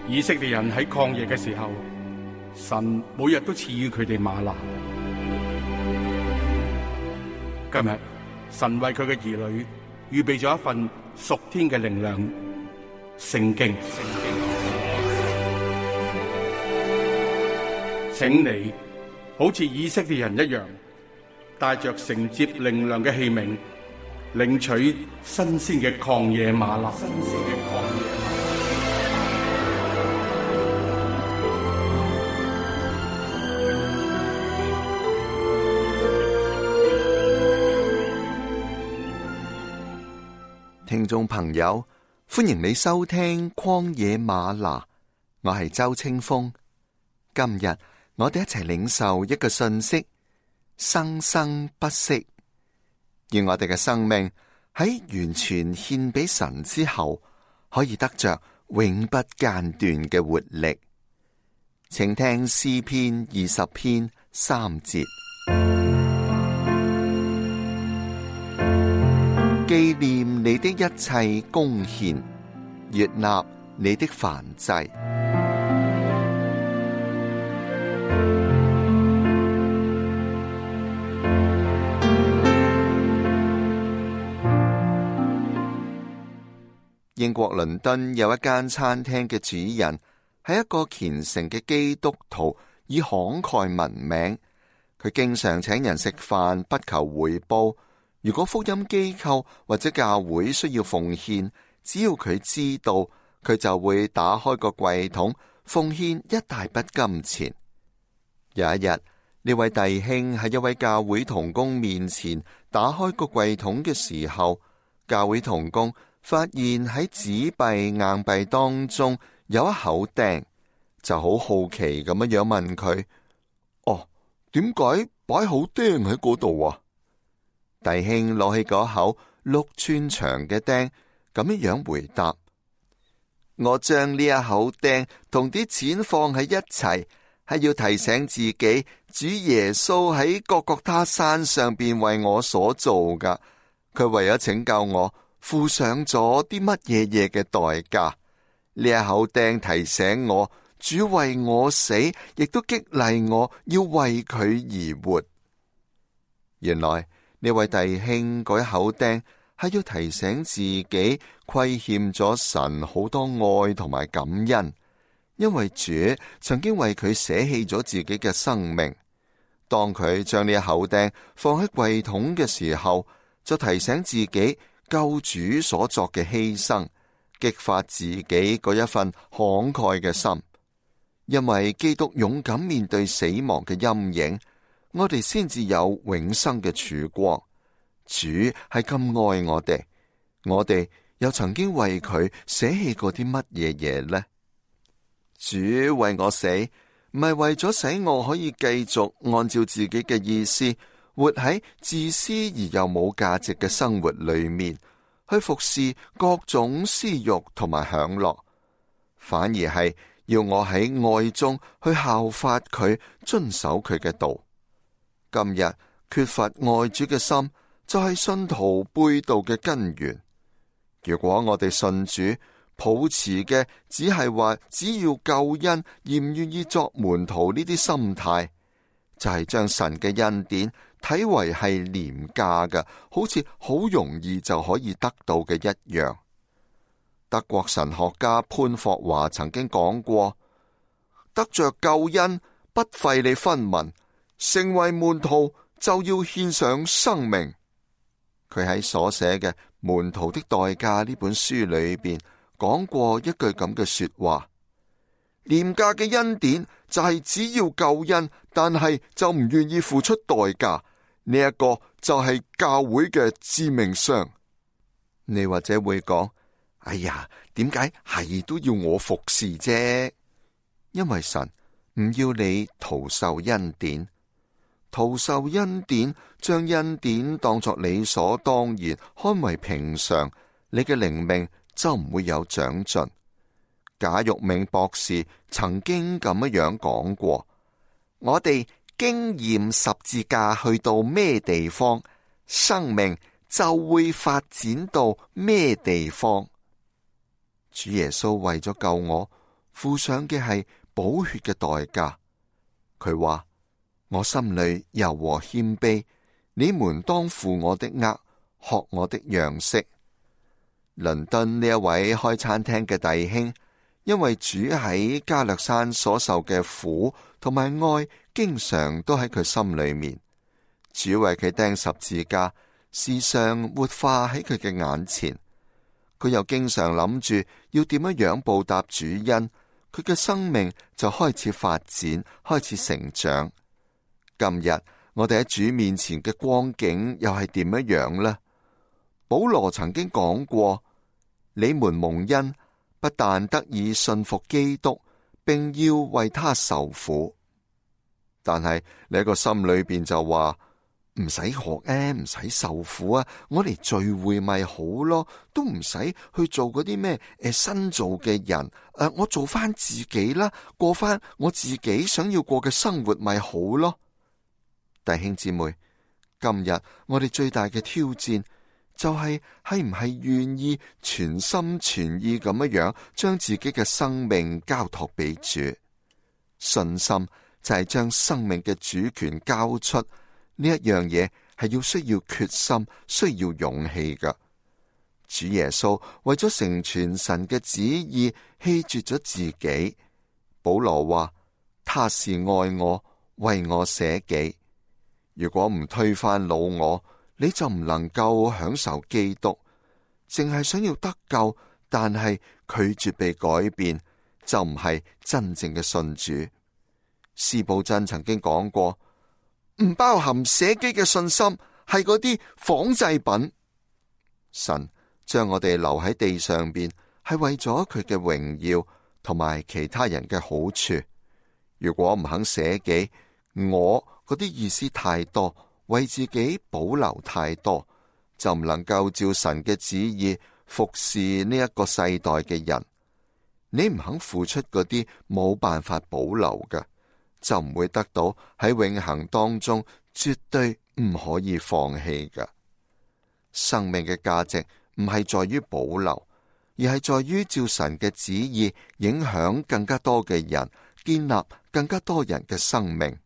以色列人喺曠野嘅時候，神每日都賜予佢哋嗎哪。今日神為佢嘅兒女預備咗一份屬天嘅靈糧——聖經。請你好似以色列人一樣，帶着承接靈糧嘅器皿，領取新鮮嘅曠野嗎哪。聽眾朋友，歡迎你收聽曠野嗎哪，我係周清風。今日我哋一齊領受一個訊息：生生不息。願我哋嘅生命喺完全獻俾神之後，可以得着永不間斷嘅活力。請聽詩篇20篇3節。紀念你的一切貢獻，悅納你的燔祭。英國倫敦有一間餐廳嘅主人係一個虔誠嘅基督徒，以慷慨聞名。佢經常請人食飯，不求回報。如果福音機構或者教會需要奉獻，只要佢知道，佢就會打開個櫃桶，奉獻一大筆金錢。有一日，呢位弟兄喺一位教會同工面前打開個櫃桶嘅時候，教會同工發現喺紙幣硬幣當中有一口釘，就好好奇咁樣問佢：點解擺口釘喺嗰度啊？弟兄攞起嗰口6寸長嘅釘，咁樣回答：我將呢一口釘同啲錢放喺一齊，係要提醒自己，主耶穌喺各各他山上邊為我所做噶。佢為咗拯救我，付上咗啲乜嘢嘅代價。呢一口釘提醒我，主為我死，亦都激勵我要為佢而活。原來呢位弟兄嗰一口釘係要提醒自己虧欠咗神好多愛同埋感恩，因為主曾經為佢捨棄咗自己嘅生命。當佢將呢一口釘放喺櫃桶嘅時候，就提醒自己救主所作嘅犧牲，激發自己嗰一份慷慨嘅心。因為基督勇敢面對死亡嘅陰影，我哋先至有永生嘅曙光。主係咁愛我哋，我哋又曾經為佢捨棄過啲乜嘢嘢呢？主為我死，唔係為咗使我可以繼續按照自己嘅意思，活喺自私而又冇價值嘅生活裏面，去服侍各種私欲同埋享樂，反而係要我喺愛中去效法佢，遵守佢嘅道。今日缺乏愛主嘅心，就係信徒背道嘅根源。如果我哋信主，抱持嘅只係話只要救恩而唔願意作門徒呢啲心態，就係將神嘅恩典睇為係廉價嘅，好似好容易就可以得到嘅一樣。德國神學家潘霍華曾經講過：得着救恩不費你分文，成為門徒就要獻上生命。佢喺所寫嘅《門徒的代價》呢本書裏邊講過一句咁嘅說話：廉價嘅恩典就係只要救恩，但係就唔願意付出代價。呢一個就係教會嘅致命傷。你或者會講：哎呀，點解係都要我服侍啫？因為神唔要你徒受恩典。徒受恩典，將恩典當作理所當然，看為平常，你嘅靈命就唔會有長進。賈玉銘博士曾經咁樣講過：我哋經驗十字架去到咩地方，生命就會發展到咩地方。主耶穌為咗救我，付上嘅係寶血嘅代價。佢話：我心裏柔和謙卑，你們當負我的軛，學我的樣式。倫敦呢一位開餐廳嘅弟兄，因為主喺加略山所受嘅苦同埋愛，經常都喺佢心裏面。主為佢釘十字架，時常活化喺佢嘅眼前。佢又經常諗住要點樣報答主恩，佢嘅生命就開始發展，開始成長。今日我哋喺主面前嘅光景又係點樣呢？保羅曾經講過：你們蒙恩，不但得以信服基督，並要為他受苦。但係你喺個心裏邊就話：唔使學唔使受苦啊！我嚟聚會咪好咯，都唔使去做嗰啲咩新造嘅人。我做翻自己啦，過翻我自己想要過嘅生活咪好咯。弟兄姊妹，今日我哋最大嘅挑戰就係唔係願意全心全意咁樣將自己嘅生命交託俾主。信心就係將生命嘅主權交出。呢一樣嘢係要需要決心，需要勇氣噶。主耶穌為咗成全神嘅旨意，棄絕咗自己。保羅話：他是愛我，為我捨己。如果唔推翻老我，你就唔能夠享受基督。淨係想要得救，但係拒絕被改變，就唔係真正嘅信主。司布真曾經講過：唔包含捨己嘅信心係嗰啲仿製品。神將我哋留喺地上邊，係為咗佢嘅榮耀同埋其他人嘅好處。如果唔肯捨己，我嗰啲意思太多，為自己保留太多，就唔能夠照神嘅旨意服侍呢一個世代嘅人。你唔肯付出嗰啲冇辦法保留嘅，就唔會得到喺永恆當中絕對唔可以放棄嘅。生命嘅價值唔係在於保留，而係在於照神嘅旨意影響更加多嘅人，建立更加多人嘅生命。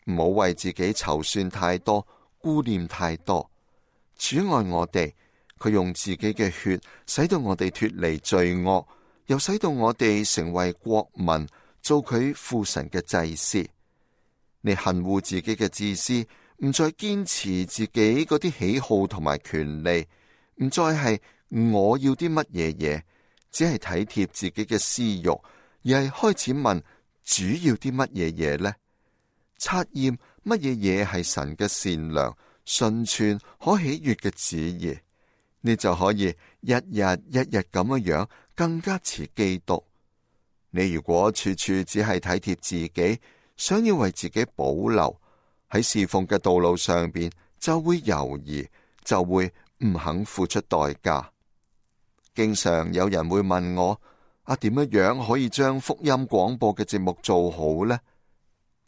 唔好為自己籌算太多，顧念太多。主愛我哋，佢用自己嘅血使到我哋脫離罪惡，又使到我哋成為國民，做佢父神嘅祭司。你恨惡自己嘅自私，唔再堅持自己嗰啲喜好同埋權利，唔再係我要啲乜嘢嘢，只係體貼自己嘅私欲，而係開始問主要啲乜嘢嘢呢？察驗乜嘢嘢係神嘅善良、純全、可喜悅嘅旨意，你就可以日日咁樣更加似基督。你如果處處只係體貼自己，想要為自己保留，喺侍奉嘅道路上邊就會猶豫，就會唔肯付出代價。經常有人會問我：點樣可以將福音廣播嘅節目做好呢？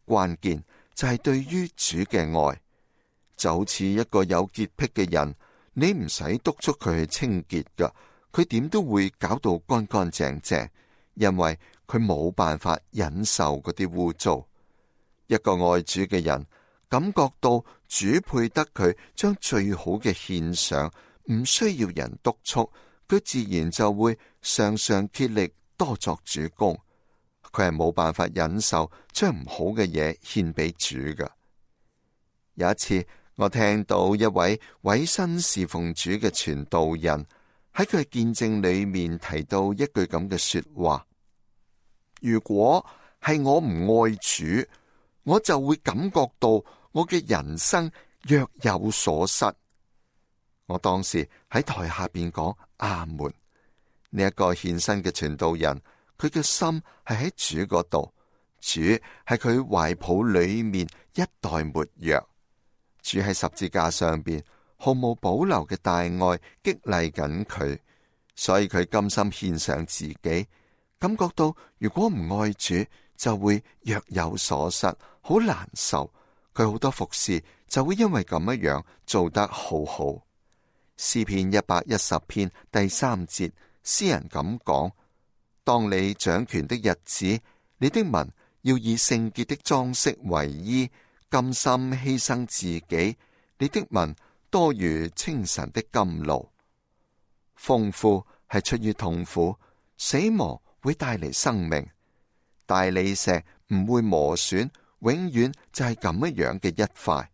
關鍵就係對於主嘅愛，就好似一個有潔癖嘅人，你唔使督促佢去清潔噶，佢點都會搞到乾乾淨淨，因為佢冇辦法忍受嗰啲污糟。一個愛主嘅人，感覺到主配得佢將最好嘅獻上，唔需要人督促，佢自然就會常常竭力多作主工。佢係冇辦法忍受將唔好嘅嘢獻俾主㗎。有一次，我聽到一位委身侍奉主嘅傳道人喺佢嘅見證裏面提到一句咁嘅說話：如果係我唔愛主，我就會感覺到我嘅人生若有所失。我當時喺台下邊講阿門。呢一個獻身嘅傳道人，佢嘅心係喺主嗰度，主係佢懷抱裏面一代沒藥。主喺十字架上邊毫無保留嘅大愛激勵緊佢，所以佢甘心獻上自己，感覺到如果唔愛主就會若有所失，好難受。佢好多服侍就會因為咁樣做得好好。詩篇110篇第3節，詩人咁講：當你掌權的日子，你的民要以聖潔的裝飾為衣，甘心犧牲自己。你的民多如清晨的甘露。豐富係出於痛苦，死亡會帶嚟生命。大理石唔會磨損，永遠就係咁樣嘅一塊。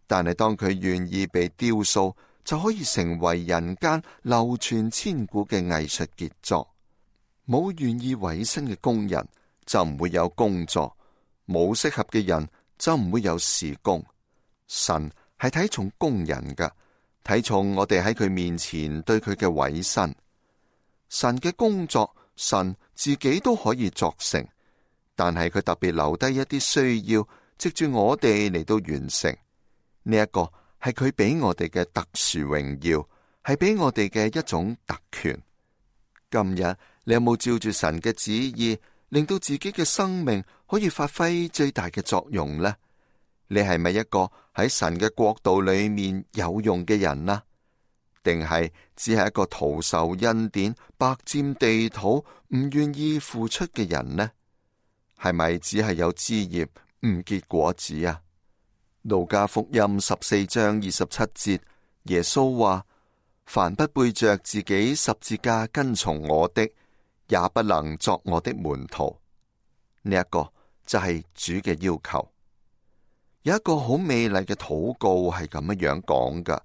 但係當佢願意被雕塑，就可以成為人間流傳千古嘅藝術傑作。冇願意委身嘅工人，就唔會有工作；冇適合嘅人，就唔會有事工。神係睇重工人㗎，睇重我哋喺佢面前對佢嘅委身。神嘅工作，神自己都可以作成，但係佢特別留低一啲需要，藉住我哋嚟到完成。呢一個係佢俾我哋嘅特殊榮耀，係俾我哋嘅一種特權。今日你有冇照住神嘅旨意，令到自己嘅生命可以發揮最大嘅作用呢？你係咪一個喺神嘅國度裏面有用嘅人呢？定係只係一個徒受恩典、白佔地土、唔願意付出嘅人呢？係咪只係有枝葉唔結果子啊？路加福音14章27節，耶穌話：凡不背着自己十字架跟從我的，也不能作我的門徒。呢一個就係主嘅要求。有一個好美麗嘅禱告係咁樣講噶：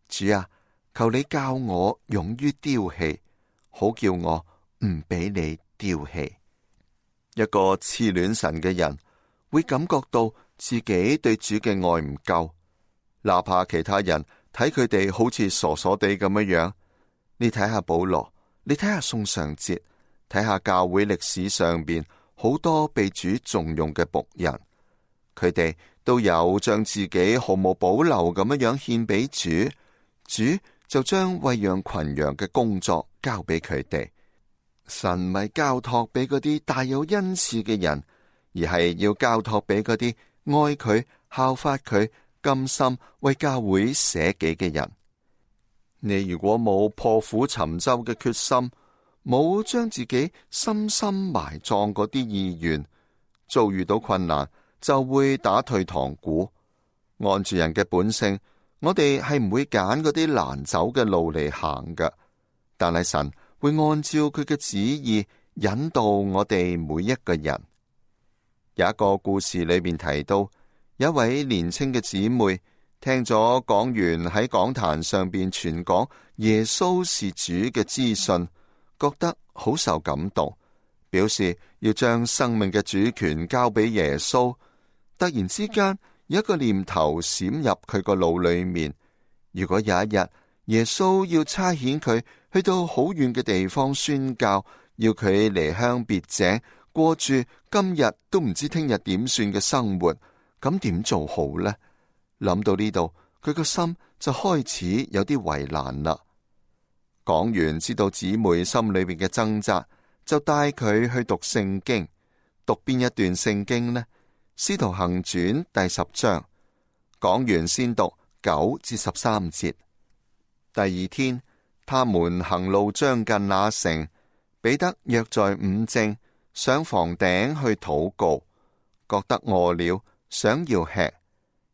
主啊，求你教我勇於丟棄，好叫我唔俾你丟棄。一個痴戀神嘅人會感覺到自己對主嘅愛唔夠，哪怕其他人睇佢哋好似傻傻地咁樣。你睇下保羅，你睇下宋尚節，睇下教會歷史上邊好多被主重用嘅僕人，佢哋都有將自己毫無保留咁樣獻俾主，主就將餵養群羊嘅工作交俾佢哋。神唔係交託俾嗰啲大有恩賜嘅人，而係要交託俾嗰啲愛佢、效法佢、甘心為教會捨己嘅人。你如果冇破釜沉舟嘅決心，冇將自己深深埋葬嗰啲意願，遭遇到困難就會打退堂鼓。按住人嘅本性，我哋係唔會揀嗰啲難走嘅路嚟行㗎，但係神會按照佢嘅旨意引導我哋每一個人。有一個故事裏面提到，有一位年輕嘅姊妹聽咗講員喺講壇上邊傳講耶穌是主嘅資訊，覺得好受感動，表示要將生命嘅主權交俾耶穌。突然之間有一個念頭閃入佢個腦裏面，如果有一日耶穌要差遣佢去到好遠嘅地方宣教，要佢離鄉別井，過住今日都唔知聽日點算嘅生活，咁點做好呢？諗到呢度，佢個心就開始有啲為難啦。講完知道姊妹心裏邊嘅掙扎，就帶佢去讀聖經。讀邊一段聖經呢？使徒行傳第10章。講完先讀9至13節。第二天，他們行路將近那城，彼得約在午正上房頂去禱告，覺得餓了，想要吃。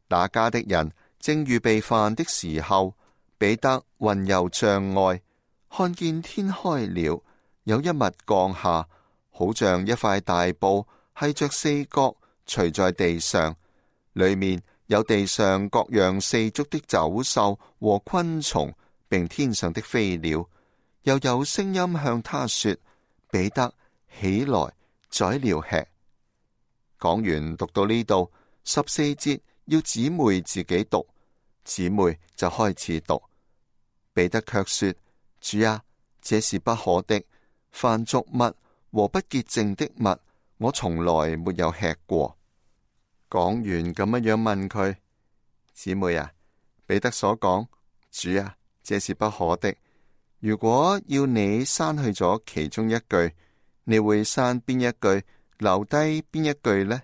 那家的人正預備飯的時候，彼得魂遊象外，看見天開了，有一物降下，好像一塊大布，繫着4角，垂在地上，裏面有地上各樣4足的走獸和昆蟲，並天上的飛鳥。又有聲音向他說：彼得，起來，宰了吃。講完讀到呢度14節，要姊妹自己讀，姊妹就開始讀。彼得卻說：主啊，這是不可的，凡俗物和不潔淨的物，我從來沒有吃過。講完咁樣問佢：姊妹啊，彼得所講，主啊，這是不可的。如果要你刪去咗其中一句，你會刪邊一句，留低邊一句呢？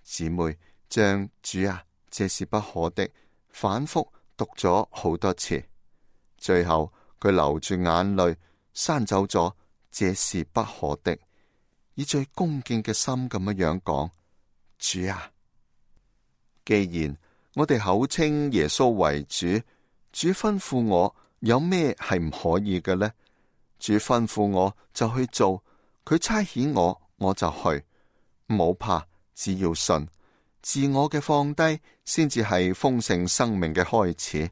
姊妹將主啊，這是不可的反覆讀咗好多次，最後佢流住眼淚刪走咗這是不可的，以最恭敬嘅心咁樣講：主啊！既然我哋口稱耶穌為主，主吩咐我有咩係唔可以嘅呢？主吩咐我就去做，佢差遣我，我就去。唔好怕，只要信。自我嘅放低，先至係豐盛生命嘅開始。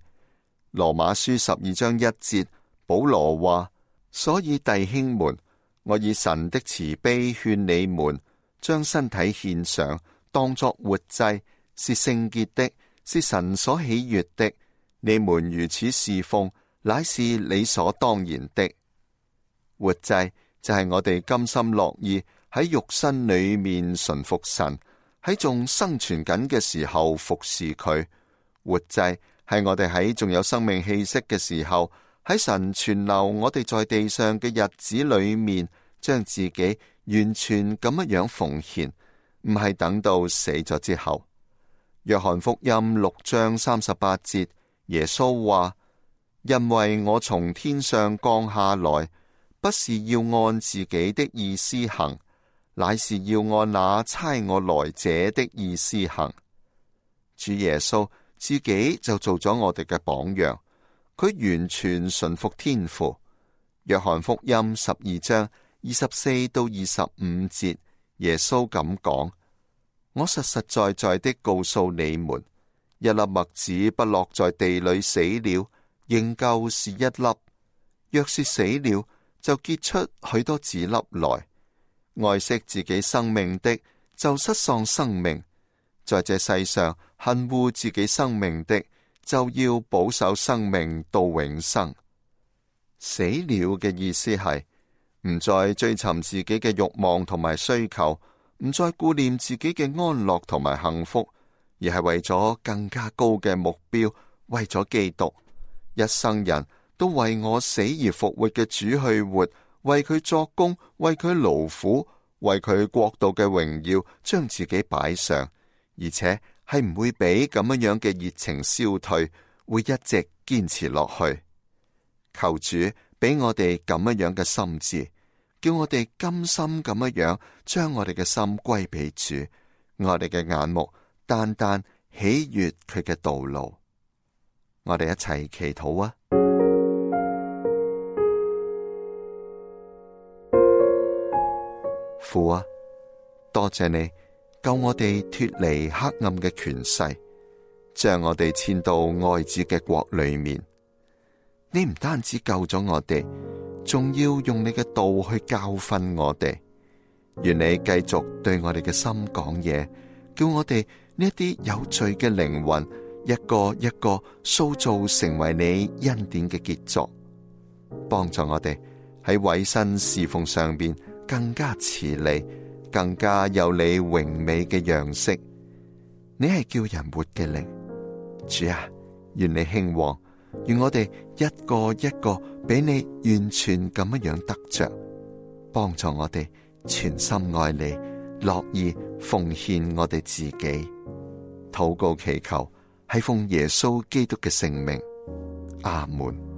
羅馬書12章1節，保羅話：所以弟兄們，我以神的慈悲勸你們，將身體獻上，當作活祭，是聖潔的，是神所喜悅的。你們如此侍奉，乃是理所當然的。活祭就係我哋甘心樂意喺肉身裏面順服神，喺仲生存緊嘅時候服侍佢。活祭係我哋喺仲有生命氣息嘅時候，喺神存留我哋在地上嘅日子裏面，將自己完全咁樣奉獻，唔係等到死咗之後。約翰福音6章38節，耶穌話：因為我從天上降下來，不是要按自己的意思行，乃是要按那差我來者的意思行。主耶穌自己就做咗我哋嘅榜樣，佢完全順服天父。約翰福音12章24到25節，耶穌咁講：我實實在在的告訴你們，一粒麥子不落在地裏死了，仍舊是一粒；若是死了，就結出許多子粒來。愛惜自己生命的，就失喪生命；在這世上恨惡自己生命的，就要保守生命到永生。死了嘅意思係唔再追尋自己嘅慾望同埋需求，唔再顧念自己嘅安樂同埋幸福，而係為咗更加高嘅目標，為咗基督。一生人都為我死而復活嘅主去活，為佢作工，為佢勞苦，為佢國度嘅榮耀，將自己擺上，而且係唔會俾咁樣嘅熱情消退，會一直堅持落去。求主俾我哋咁樣嘅心志，叫我哋甘心咁樣將我哋嘅心歸俾主，我哋嘅眼目單單喜悅佢嘅道路。我哋一齊祈禱啊！父啊，多謝你救我哋脫離黑暗嘅權勢，將我哋遷到愛子嘅國裏面。你唔單止救咗我哋，仲要用你嘅道去教訓我哋。願你繼續對我哋嘅心講嘢，叫我哋呢一啲有罪嘅靈魂一個一個塑造成為你恩典嘅傑作，幫助我哋喺委身侍奉上邊更加似你，更加有你榮美嘅樣式。你係叫人活嘅靈，主啊，願你興旺，願我哋一個一個俾你完全咁樣得着，幫助我哋全心愛你，樂意奉獻我哋自己。禱告祈求係奉耶穌基督嘅聖名，阿門。